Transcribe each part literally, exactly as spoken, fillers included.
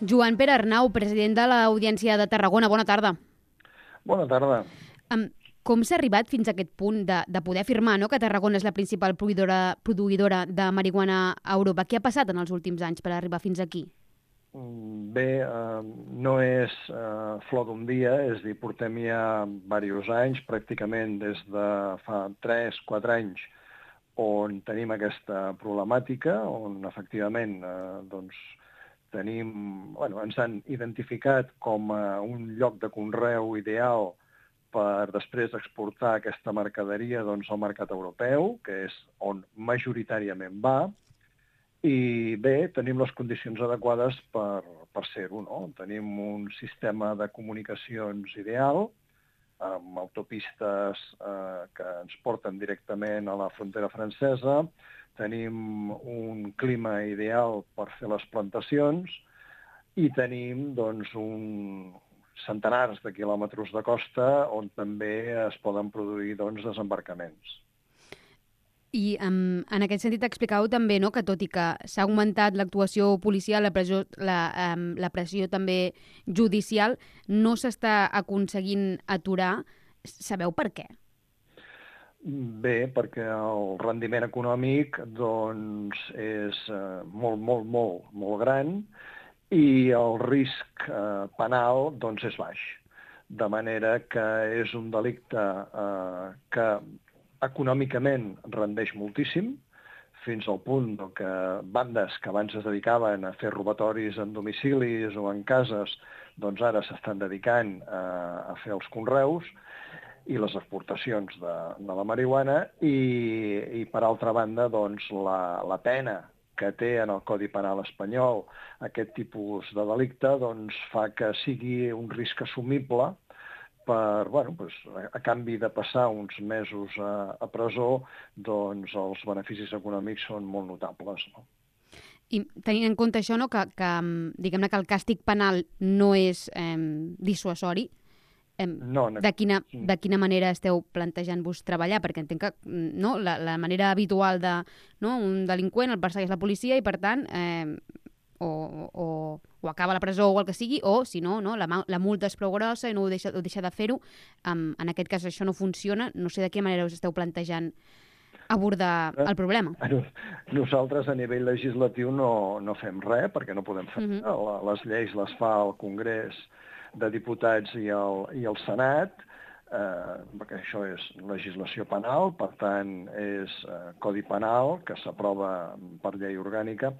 Joan Pere Arnau, president de l'Audiència de Tarragona. Bona tarda. Bona tarda. Um, com s'ha arribat fins a aquest punt de, de poder afirmar, no?, que Tarragona és la principal produïdora, produïdora de marihuana a Europa? Què ha passat en els últims anys per arribar fins aquí? Bé, eh, no és eh, flor d'un dia, és a dir, portem ja diversos anys, pràcticament des de fa tres quatre anys, on tenim aquesta problemàtica, on efectivament eh, doncs, tenim, bueno, ens han identificat com a un lloc de conreu ideal per després exportar aquesta mercaderia doncs, al mercat europeu, que és on majoritàriament va, i bé, tenim les condicions adequades per, per ser-ho, no? Tenim un sistema de comunicacions ideal, amb autopistes eh, que ens porten directament a la frontera francesa, tenim un clima ideal per fer les plantacions i tenim doncs, un centenars de quilòmetres de costa on també es poden produir doncs, desembarcaments. I um, en aquest sentit explicàveu també, no?, que tot i que s'ha augmentat l'actuació policial, la pressió, la, um, la pressió també judicial, no s'està aconseguint aturar. Sabeu per què? Bé, perquè el rendiment econòmic doncs, és eh, molt, molt, molt, molt gran i el risc eh, penal doncs, és baix. De manera que és un delicte eh, que econòmicament rendeix moltíssim, fins al punt que bandes que abans es dedicaven a fer robatoris en domicilis o en cases, doncs ara s'estan dedicant a, a fer els conreus i les exportacions de, de la marihuana i, i per altra banda, doncs, la, la pena que té en el Codi Penal espanyol aquest tipus de delicte doncs, fa que sigui un risc assumible per, bueno, doncs, a canvi de passar uns mesos a, a presó, doncs els beneficis econòmics són molt notables, no? I tenint en compte això, no, que, que, diguem-ne que el càstig penal no és eh, dissuasori, eh, no, no. De, quina, de quina manera esteu plantejant-vos treballar? Perquè entenc que no, la, la manera habitual de, no, un delinqüent el persegueix la policia i, per tant, eh, o, o, o acaba a la presó o el que sigui, o, si no, no la, la multa és prou grossa i no ho deixa, ho deixa de fer-ho. Um, en aquest cas això no funciona. No sé de quina manera us esteu plantejant abordar el problema. Nosaltres a nivell legislatiu no, no fem res, perquè no podem fer. Uh-huh. La, les lleis les fa el Congrés de Diputats i el, i el Senat, eh, perquè això és legislació penal, per tant és eh, codi penal que s'aprova per llei orgànica,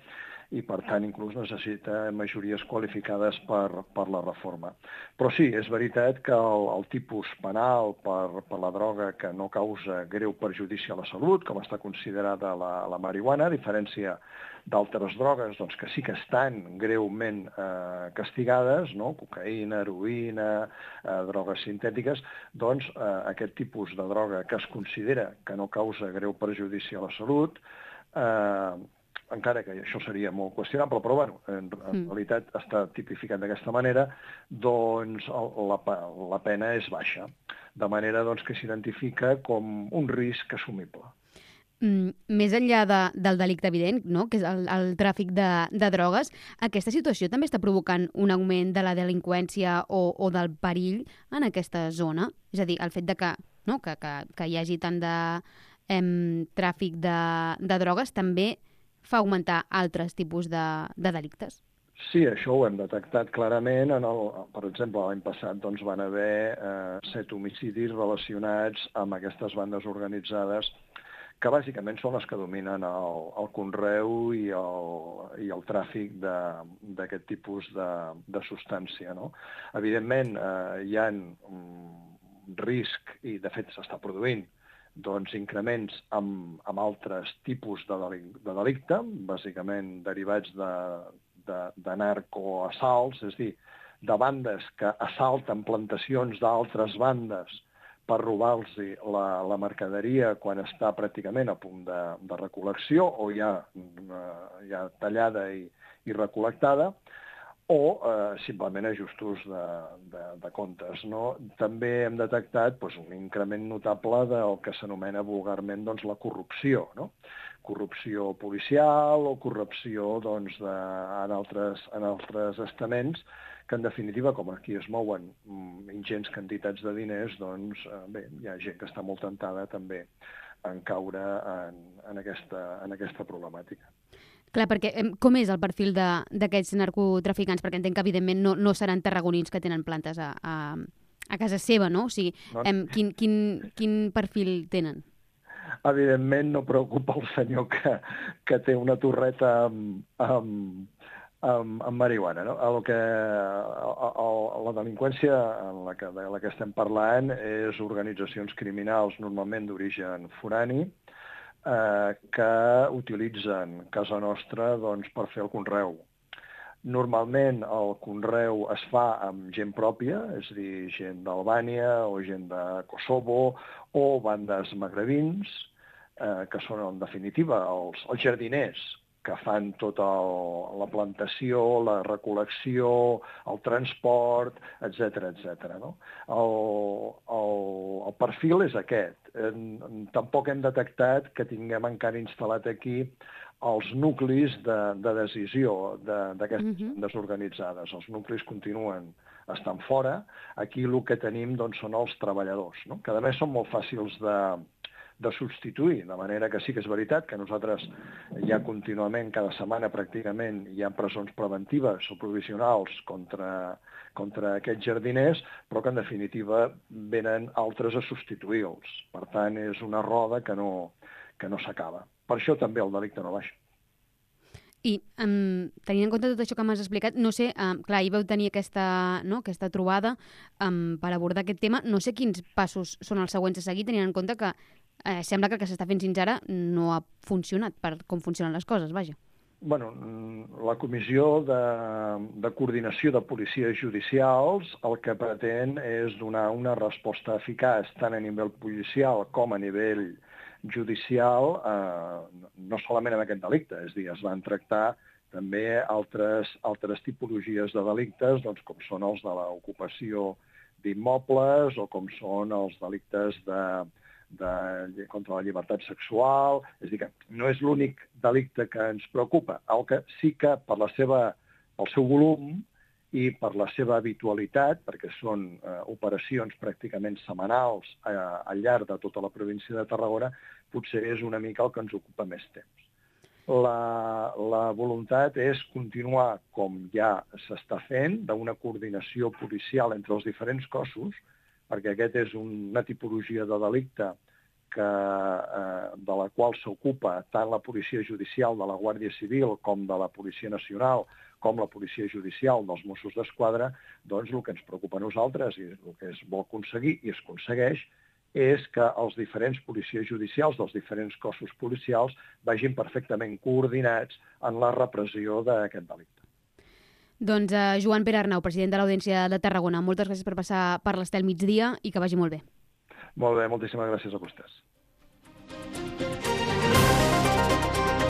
i, per tant, inclús necessita majories qualificades per, per la reforma. Però sí, és veritat que el, el tipus penal per, per la droga que no causa greu perjudici a la salut, com està considerada la, la marihuana, a diferència d'altres drogues doncs, que sí que estan greument eh, castigades, no? Cocaïna, heroïna, eh, drogues sintètiques, doncs eh, aquest tipus de droga que es considera que no causa greu perjudici a la salut, eh, encara que això seria molt qüestionable, però bueno, en, en realitat està tipificat d'aquesta manera, doncs la, la pena és baixa, de manera doncs, que s'identifica com un risc assumible. Mm, més enllà de, del delicte evident, no?, que és el, el tràfic de, de drogues, aquesta situació també està provocant un augment de la delinqüència o, o del perill en aquesta zona? És a dir, el fet de que, no, que, que, que hi hagi tant de em, tràfic de, de drogues també fa augmentar altres tipus de, de delictes? Sí, això ho hem detectat clarament. En el, per exemple, l'any passat doncs, van haver eh, set homicidis relacionats amb aquestes bandes organitzades que bàsicament són les que dominen el, el conreu i el, i el tràfic d'aquest tipus de, de substància, no? Evidentment, eh, hi ha un risc, i de fet s'està produint, doncs, increments amb, amb altres tipus de, delic, de delicte, bàsicament derivats de, de, de narcoassalts, és a dir, de bandes que assalten plantacions d'altres bandes per robar-los la, la mercaderia quan està pràcticament a punt de, de recol·lecció o ja, ja tallada i, i recol·lectada, o eh, simplement ajustos de, de, de comptes. No? També hem detectat doncs, un increment notable del que s'anomena vulgarment doncs, la corrupció, no? Corrupció policial o corrupció doncs, de, en, altres, en altres estaments, que en definitiva, com aquí es mouen ingents quantitats de diners, doncs eh, bé, hi ha gent que està molt tentada també en caure en, en, aquesta, en aquesta problemàtica. Clar, perquè com és el perfil d'aquests narcotraficants? Perquè entenc que, evidentment, no, no seran tarragonins que tenen plantes a, a, a casa seva, no? O sigui, no. Em, quin, quin, quin perfil tenen? Evidentment no preocupa el senyor que, que té una torreta amb, amb, amb, amb marihuana. No? El que, el, el, la delinqüència en la que, de la que estem parlant és organitzacions criminals normalment d'origen forani, Eh, que utilitzen casa nostra doncs, per fer el conreu. Normalment el conreu es fa amb gent pròpia, és a dir, gent d'Albània o gent de Kosovo o bandes magrebins, eh, que són en definitiva els, els jardiners que fan tota el, la plantació, la recol·lecció, el transport, etcètera, etcètera. No? El, el, el perfil és aquest. En, tampoc hem detectat que tinguem encara instal·lat aquí els nuclis de, de decisió d'aquestes mm-hmm. bandes organitzades. Els nuclis continuen estant fora. Aquí el que tenim doncs, són els treballadors, no? Que a més són molt fàcils de, de substituir, de manera que sí que és veritat que nosaltres ja contínuament, cada setmana pràcticament, hi ha presons preventives o provisionals contra, contra aquests jardiners, però que en definitiva venen altres a substituir-los. Per tant, és una roda que no, que no s'acaba. Per això també el delicte no baixa. I um, tenint en compte tot això que m'has explicat, no sé, um, clar, ahir vau tenir aquesta, no, aquesta trobada um, per abordar aquest tema. No sé quins passos són els següents a seguir, tenint en compte que eh, sembla que el que s'està fent fins ara no ha funcionat per com funcionen les coses, vaja. Bueno, la Comissió de, de Coordinació de Policies Judicials el que pretén és donar una resposta eficaç tant a nivell policial com a nivell judicial, eh, no solament amb aquest delicte, és a dir, es van tractar també altres, altres tipologies de delictes, doncs, com són els de l'ocupació d'immobles o com són els delictes de, de, contra la llibertat sexual. És a dir, que no és l'únic delicte que ens preocupa, el que sí que per la seva, pel seu volum i per la seva habitualitat, perquè són eh, operacions pràcticament setmanals eh, al llarg de tota la província de Tarragona, potser és una mica el que ens ocupa més temps. La, la voluntat és continuar, com ja s'està fent, d'una coordinació policial entre els diferents cossos, perquè aquest és una tipologia de delicte que, eh, de la qual s'ocupa tant la Policia Judicial de la Guàrdia Civil com de la Policia Nacional, com la Policia Judicial dels Mossos d'Esquadra, doncs el que ens preocupa a nosaltres i el que es vol aconseguir i es aconsegueix és que els diferents policies judicials dels diferents cossos policials vagin perfectament coordinats en la repressió d'aquest delicte. Doncs uh, Joan Pere Arnau, president de l'Audiència de Tarragona, moltes gràcies per passar per l'Estel migdia i que vagi molt bé. Molt bé, moltíssimes gràcies a vostès.